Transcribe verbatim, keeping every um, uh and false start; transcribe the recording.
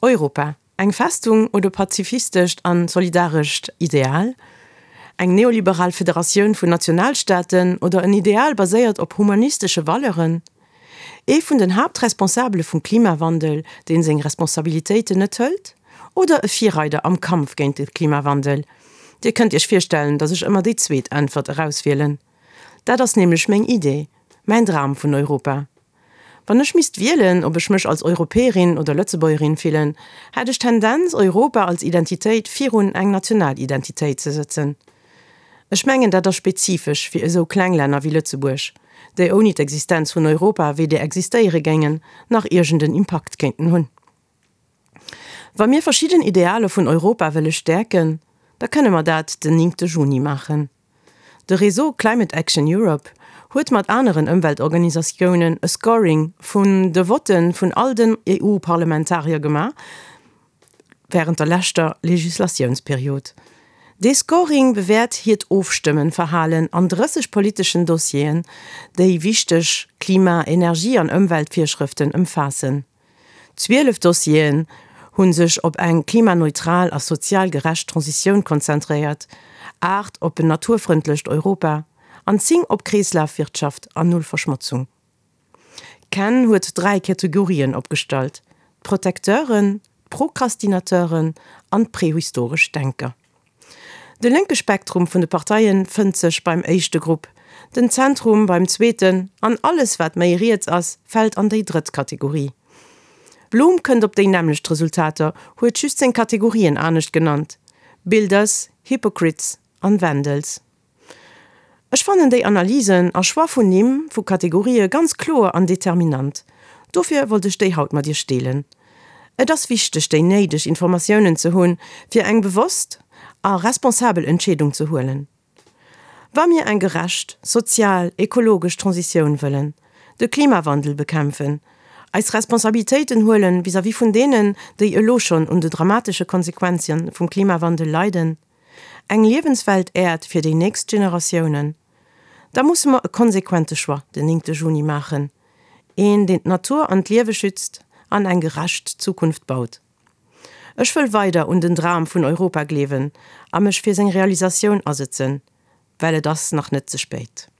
Europa, eng Festung oder pazifistescht an solidarescht Ideal? Eng neoliberal Federatioun vun Nationalstaaten oder en Ideal baséiert op humanistesche Valeuren? Ee vun den Haaptresponsabele vum Klimawandel, deen seng Responsabilitéiten net hëlt? Oder e Virreider am Kampf géint de Klimawandel? Dir kënnt iech virstellen, dass ech ëmmer déi zweet Äntwert erauswielen. Dat ass nämlech meng Idee, mäin Dram vun Europa. Wann ech misst wielen, ob ech mech als Europäerin oder Lëtzebuergerin fillen, hätt ech Tendenz Europa als Identitéit virun eng national Identitéit ze setzen. Ech mengen dat ass spezifesch fir esou kleng Länner wéi Lëtzebuerg, déi ouni d'Existenz vun Europa weder existéiere géingen, nach iergend en Impakt kéinten hunn. Wa mir verschidden Idealer vun Europa wëlle stäerken, da kënne mer dat den néngte Juni maachen. De Réseau Climate Action Europe huet mat aneren Ëmweltorganisatiounen e Scoring vun de Votte vun all den E U-Parlamentarier gemaach wärend der leschter Legislatiounsperiod. Dee Scoring bewäert hiert Ofstëmmeverhalen an drësseg politeschen Dossieren, déi wichteg Klima-, Energie an Ëmweltvirschrëften ëmfaassen. Zwielef Dossieren hu sech op eng klimaneutral a sozial gerecht Transitioun konzentréiert, aacht op en naturfrëndlecht Europa an zéng op Kreeslafwirtschaft an Null Verschmotzung. CAN huet dräi Kategorien opgestallt, d'Protecteuren, d'Prokrastinateuren an d'prehistoresch Denker. De lénke Spektrum vun de Parteie fënnt sech beim éischte Grupp, den Zentrum beim zweeten an alles wat méi riets ass, fält an déi drëtt Kategorie. Bloom kënnt op déi nämmlecht Resultater, huet just seng Kategorien anescht genannt: Builders, Hypocrites an Vandals. Ech fannen déi Analysen a Choix vun Nimm vu Kategorië ganz kloer an determinant. Dofir wollt ech déi haut mat iech deelen. Et ass wichteg déi néideg Informatiounen ze hunn, fir eng bewosst a responsabel Entscheedung ze huelen. Wa mir eng gerecht, sozial, ekologesch Transitioun wëllen, de Klimawandel bekämpfen, eis Responsabilitéiten huelen vis-à-vis vun deenen, déi elo schonn un de dramatesche Konsequenze vum Klimawandel leiden, eng liewenswäert Äerd fir déi nächst Generatiounen, da musse mer e konsequente Choix den néngte Juni maachen. Een, deen d'Natur an d'Liewe schützt an eng gerecht Zukunft baut. Ech wëll weider un den Dram vun Europa gleewen a mech fir seng Realisatioun asetzen, well et ass nach net ze spéit.